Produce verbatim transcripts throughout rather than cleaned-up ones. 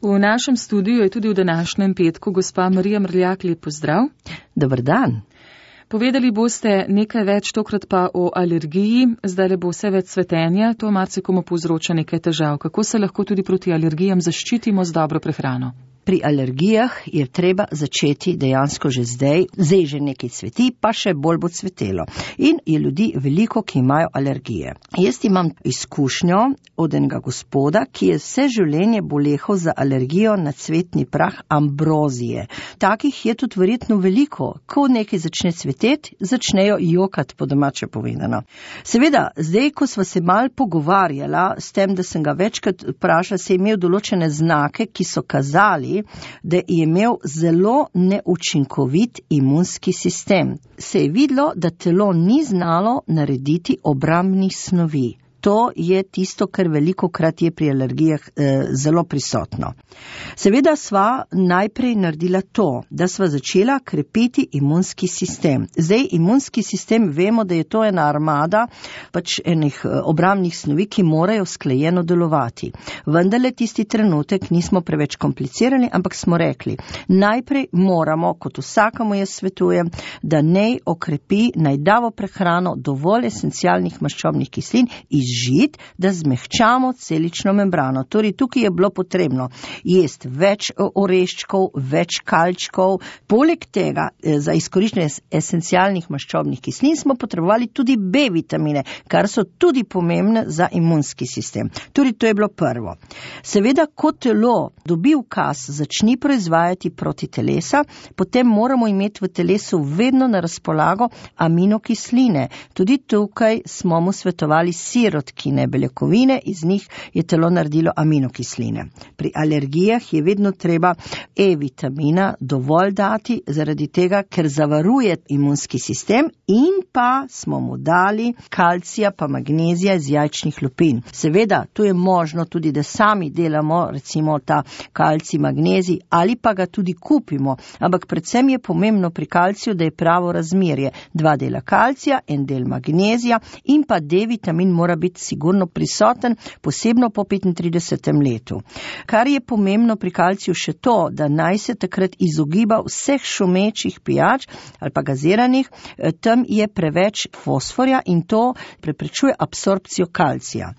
V našem studiu je tudi v današnjem petku gospa Marija Mrljak, lep pozdrav. Dober dan. Povedali boste nekaj več, tokrat pa o alergiji. Zdaj le bo vse več cvetenja, to marsikomu povzroča nekaj težav. Kako se lahko tudi proti alergijam zaščitimo z dobro prehrano? Pri alergijah je treba začeti dejansko že zdaj, zdaj že nekaj cveti, pa še bolj bo cvetelo. In je ljudi veliko, ki imajo alergije. Jaz imam izkušnjo od enega gospoda, ki je vse življenje bolehal za alergijo na cvetni prah ambrozije. Takih je tudi verjetno veliko. Ko nekaj začne cveteti, začnejo jokati, po domače povedano. Seveda, zdaj, ko sva se mal pogovarjala s tem, da sem ga večkrat vprašala, se je imel določene znake, ki so kazali, da je imel zelo neučinkovit imunski sistem. Se je videlo, da telo ni znalo narediti obrambnih snovi. To je tisto, kar veliko krat je pri alergijah eh, zelo prisotno. Seveda sva najprej naredila to, da sva začela krepiti imunski sistem. Zdaj, imunski sistem, vemo, da je to ena armada pač enih obrambnih snovi, ki morajo sklejeno delovati. Vendarle tisti trenutek nismo preveč komplicirali, ampak smo rekli, najprej moramo, kot vsakemu jaz svetujem, da naj okrepi najdavo prehrano dovolj esencialnih maščobnih kislin iz žit, da zmehčamo celično membrano. Torej, tukaj je bilo potrebno jesti več oreščkov, več kalčkov. Poleg tega, za izkoriščenje esencialnih maščobnih kislin smo potrebovali tudi B vitamine, kar so tudi pomembne za imunski sistem. Torej, to je bilo prvo. Seveda, ko telo dobi ukaz, začni proizvajati proti telesa, potem moramo imeti v telesu vedno na razpolago aminokisline. Tudi tukaj smo mu svetovali sirotkine, beljakovine, iz njih je telo naredilo aminokisline. Pri alergijah je vedno treba E vitamina dovolj dati, zaradi tega, ker zavaruje imunski sistem, in pa smo mu dali kalcija pa magnezija iz jajčnih lupin. Seveda, tu je možno tudi, da sami delamo recimo ta kalcij, magnezij, ali pa ga tudi kupimo, ampak predvsem je pomembno pri kalciju, da je pravo razmerje. Dva dela kalcija, en del magnezija in pa D vitamin mora biti sigurno prisoten, posebno po petintridesetem letu. Kar je pomembno pri kalciju še to, da naj se takrat izogiba vseh šumečih pijač ali pa gaziranih, tam je preveč fosforja in to preprečuje absorpcijo kalcija.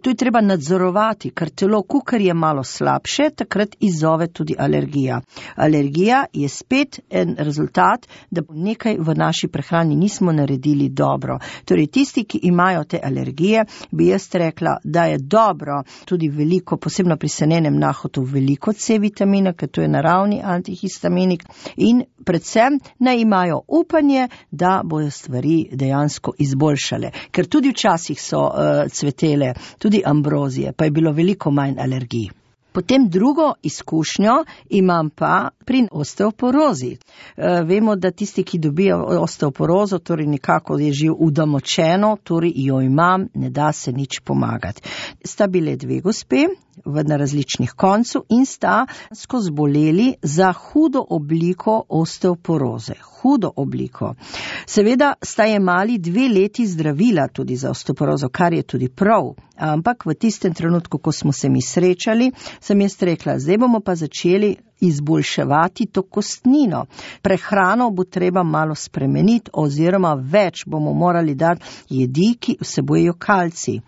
Tu je treba nadzorovati, ker telo, kukar je malo slabše, takrat izzove tudi alergija. Alergija je spet en rezultat, da nekaj v naši prehrani nismo naredili dobro. Torej, tisti, ki imajo te alergije, bi jaz rekla, da je dobro tudi veliko, posebno pri senenem nahotu, veliko C vitamina, ker to je naravni antihistaminik, in predvsem naj imajo upanje, da bojo stvari dejansko izboljšale. Ker tudi včasih so uh, cvetele, tudi ambrozije, pa je bilo veliko manj alergij. Potem drugo izkušnjo imam pa pri osteoporozi. E, vemo, da tisti, ki dobijo osteoporozo, torej nekako je že udomočeno, torej jo imam, ne da se nič pomagati. Sta bile dve gospe v na različnih koncu in sta skozi boleli za hudo obliko osteoporoze. Hudo obliko. Seveda sta jemali dve leti zdravila tudi za osteoporozo, kar je tudi prav. Ampak v tistem trenutku, ko smo se mi srečali, sem jaz rekla, zdaj bomo pa začeli izboljševati to kostnino. Prehrano bo treba malo spremeniti oziroma več bomo morali dati jedi, ki vsebujejo kalcij.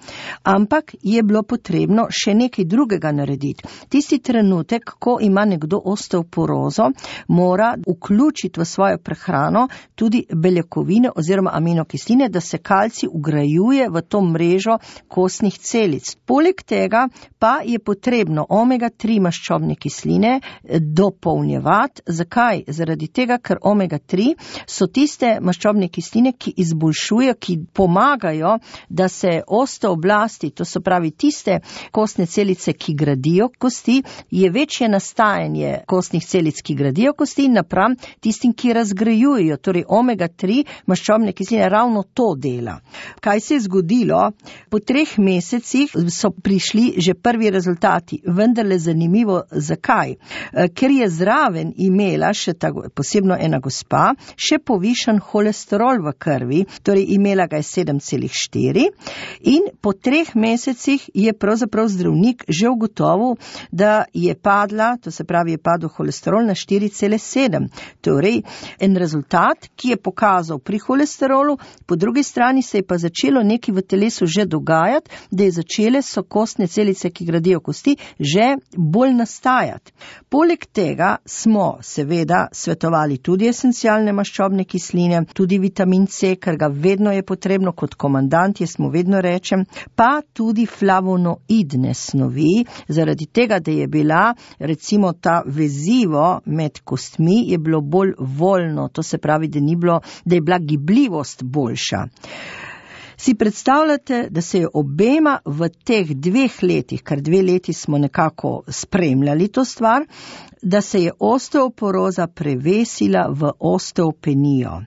Ampak je bilo potrebno še nekaj drugega narediti. Tisti trenutek, ko ima nekdo osteoporozo, mora vključiti v svojo prehrano tudi beljakovine oziroma aminokisline, da se kalcij ugrajuje v to mrežo kostnih celic. Poleg tega pa je potrebno omega tri maščobne kisline dopolnjevati. Zakaj? Zaradi tega, ker omega tri so tiste maščobne kisline, ki izboljšujejo, ki pomagajo, da se osteoblasti, to so pravi tiste kostne celice, ki gradijo kosti, je večje nastajanje kostnih celic, ki gradijo kosti, napram tistim, ki razgrajujejo. Torej omega tri maščobne kisline ravno to dela. Kaj se je zgodilo? Po treh mesecih so prišli že prvi rezultati, vendarle zanimivo, zakaj? ker je zraven imela še ta, posebno ena gospa, še povišan holesterol v krvi, torej imela ga je sedem celih štiri in po treh mesecih je pravzaprav zdravnik že ugotovil, da je padla, to se pravi je padel holesterol na štiri cele sedem. Torej, en rezultat, ki je pokazal pri holesterolu, po drugi strani se je pa začelo nekaj v telesu že dogajati, da je začele so kostne celice, ki gradijo kosti, že bolj nastajati. Poleg tega smo seveda svetovali tudi esencialne maščobne kisline, tudi vitamin C, ker ga vedno je potrebno kot komandant, jaz mu vedno rečem, pa tudi flavonoidne snovi, zaradi tega, da je bila recimo ta vezivo med kostmi, je bilo bolj voljno, to se pravi, da ni bilo, da je bila gibljivost boljša. Si predstavljate, da se je obema v teh dveh letih, kar dve leti smo nekako spremljali to stvar, da se je osteoporoza prevesila v osteopenijo.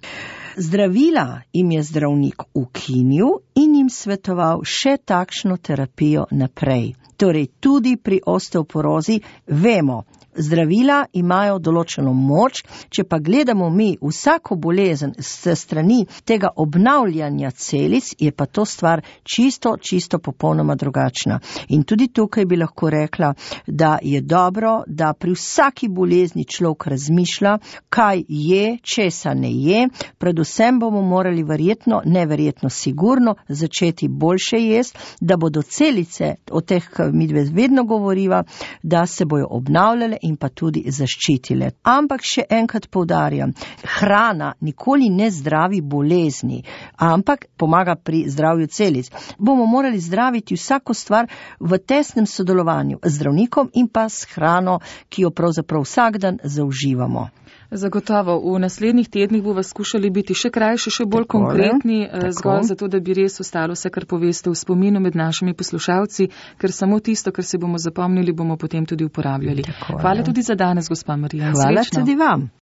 Zdravila jim je zdravnik ukinil in jim svetoval še takšno terapijo naprej. Torej tudi pri osteoporozi vemo, zdravila imajo določeno moč, če pa gledamo mi vsako bolezen s strani tega obnavljanja celic, je pa to stvar čisto, čisto popolnoma drugačna. In tudi tukaj bi lahko rekla, da je dobro, da pri vsaki bolezni človek razmišlja, kaj je, česa ne je, predvsem bomo morali verjetno, neverjetno sigurno, začeti boljše jesti, da bodo celice, o teh mi vedno govoriva, da se bojo obnavljale in pa tudi zaščitile. Ampak še enkrat poudarjam, hrana nikoli ne zdravi bolezni, ampak pomaga pri zdravju celic. Bomo morali zdraviti vsako stvar v tesnem sodelovanju z zdravnikom in pa s hrano, ki jo pravzaprav vsak dan zauživamo. Zagotovo, v naslednjih tednih bo vas skušali biti še krajši, še bolj tako, konkretni, tako. Zgolj zato, da bi res ostalo vse, kar poveste v spominu med našimi poslušalci, ker samo tisto, kar se bomo zapomnili, bomo potem tudi uporabljali. Tako, Hvala tudi za danes, gospa Marija. Hvala tudi vam.